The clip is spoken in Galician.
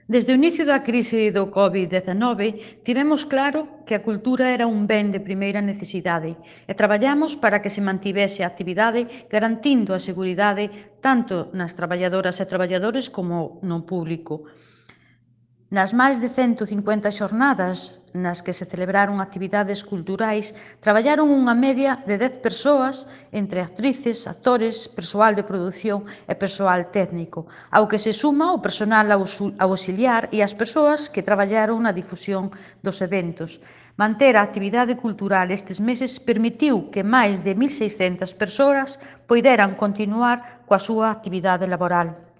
Desde o inicio da crise do Covid-19, tivemos claro que a cultura era un ben de primeira necesidade e traballamos para que se mantivese a actividade garantindo a seguridade tanto nas traballadoras e traballadores como no público. Nas máis de 150 xornadas nas que se celebraron actividades culturais, traballaron unha media de 10 persoas entre actrices, actores, persoal de produción e persoal técnico, ao que se suma o personal auxiliar e as persoas que traballaron na difusión dos eventos. Manter a actividade cultural estes meses permitiu que máis de 1.600 persoas poideran continuar coa súa actividade laboral.